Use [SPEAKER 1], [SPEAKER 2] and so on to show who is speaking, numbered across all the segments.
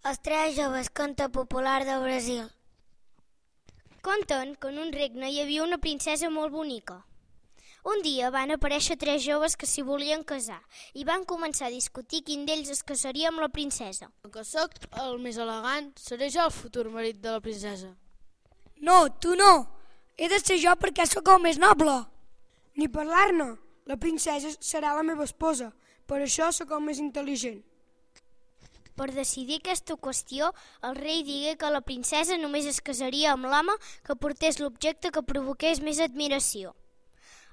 [SPEAKER 1] Els tres joves conte popular de Brasil. Conten que en un regne hi havia una princesa molt bonica. Un dia van aparèixer tres joves que s'hi volien casar i van començar a discutir quin d'ells es casaria amb la princesa.
[SPEAKER 2] Com que sóc el més elegant, seré jo el futur marit de la princesa.
[SPEAKER 3] No, tu no. He de ser jo perquè sóc el més noble. Ni parlar-ne. La princesa serà la meva esposa. Per això sóc el més intel·ligent.
[SPEAKER 1] Per decidir aquesta qüestió, el rei digué que la princesa només es casaria amb l'home que portés l'objecte que provoqués més admiració.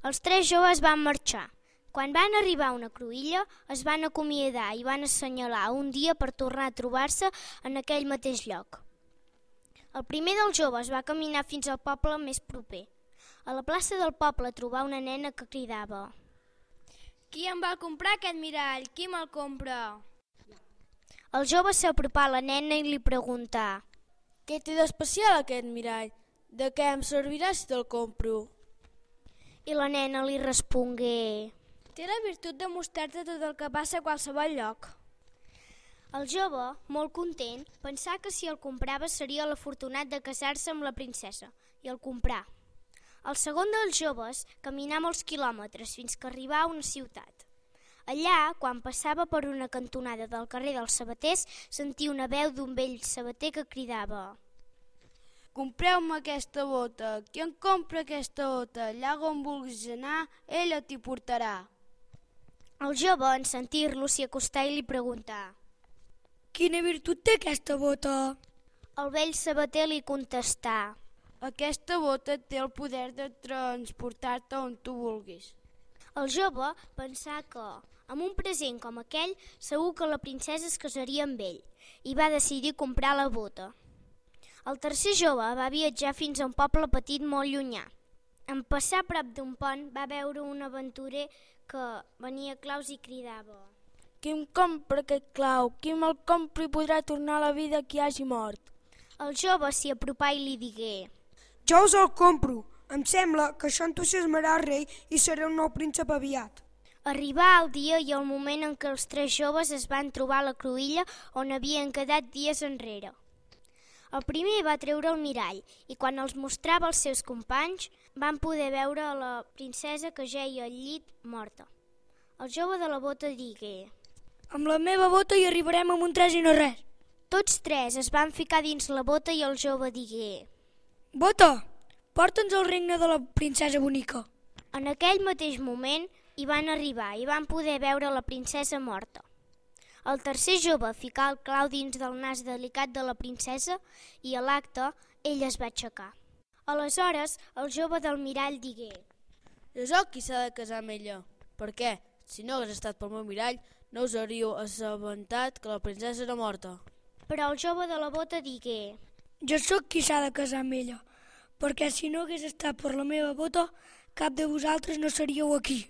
[SPEAKER 1] Els tres joves van marxar. Quan van arribar a una cruïlla, es van acomiadar i van assenyalar un dia per tornar a trobar-se en aquell mateix lloc. El primer dels joves va caminar fins al poble més proper. A la plaça del poble trobà una nena que cridava:
[SPEAKER 4] «Qui em va comprar aquest mirall? Qui me'l compra?»
[SPEAKER 1] El jove s'apropà a la nena i li preguntà:
[SPEAKER 2] Què té d'especial aquest mirall? De què em servirà si te'l compro?
[SPEAKER 1] I la nena li respongué:
[SPEAKER 4] «Té la virtut de mostrar-te tot el que passa a qualsevol lloc».
[SPEAKER 1] El jove, molt content, pensà que si el comprava seria l'afortunat de casar-se amb la princesa, i el comprà. El segon dels joves caminà molts quilòmetres fins que arribà a una ciutat. Allà, quan passava per una cantonada del carrer dels sabaters, sentia una veu d'un vell sabater que cridava:
[SPEAKER 2] «Compreu-me aquesta bota. Qui em compra aquesta bota? Allà on vulguis anar, ella t'hi portarà».
[SPEAKER 1] El jove, en sentir-lo, s'hi acostà i li preguntà:
[SPEAKER 3] Quina virtut té aquesta bota?
[SPEAKER 1] El vell sabater li contestà:
[SPEAKER 2] Aquesta bota té el poder de transportar-te on tu vulguis.
[SPEAKER 1] El jove pensà que, amb un present com aquell, segur que la princesa es casaria amb ell, i va decidir comprar la bota. El tercer jove va viatjar fins a un poble petit molt llunyà. En passar a prop d'un pont va veure un aventurer que venia claus i cridava:
[SPEAKER 2] Qui em compra aquest clau? Qui me'l compra i podrà tornar a la vida qui hagi mort?
[SPEAKER 1] El jove s'hi apropà i li digué:
[SPEAKER 3] Jo us el compro. Em sembla que això entusiasmarà el rei i seré un nou príncep aviat.
[SPEAKER 1] Arribà el dia i el moment en què els tres joves es van trobar a la cruïlla on havien quedat dies enrere. El primer va treure el mirall i quan els mostrava als seus companys van poder veure a la princesa que jeia al llit morta. El jove de la bota digué:
[SPEAKER 3] Amb la meva bota hi arribarem amb un tres i no res.
[SPEAKER 1] Tots tres es van ficar dins la bota i el jove digué:
[SPEAKER 3] Bota, porta'ns al regne de la princesa bonica.
[SPEAKER 1] En aquell mateix moment hi van arribar i van poder veure la princesa morta. El tercer jove ficà el clau dins del nas delicat de la princesa i a l'acte ell es va aixecar. Aleshores el jove del mirall digué:
[SPEAKER 2] Jo sóc qui s'ha de casar amb ella. Per què? Si no hagués estat pel meu mirall, no us hauríeu assabentat que la princesa era morta.
[SPEAKER 1] Però el jove de la bota digué:
[SPEAKER 3] Jo sóc qui s'ha de casar amb ella, perquè si no hagués estat per la meva bota, cap de vosaltres no seríeu aquí.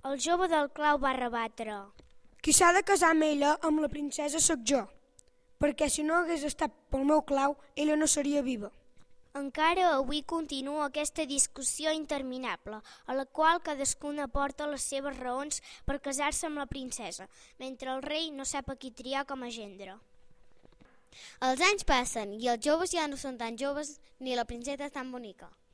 [SPEAKER 1] El jove del clau va rebatre:
[SPEAKER 3] Qui s'ha de casar amb ella, amb la princesa sóc jo, perquè si no hagués estat pel meu clau, ella no seria viva.
[SPEAKER 1] Encara avui continua aquesta discussió interminable, a la qual cadascuna aporta les seves raons per casar-se amb la princesa, mentre el rei no sap a qui triar com a gendre.
[SPEAKER 5] Els anys passen i els joves ja no són tan joves ni la princesa és tan bonica.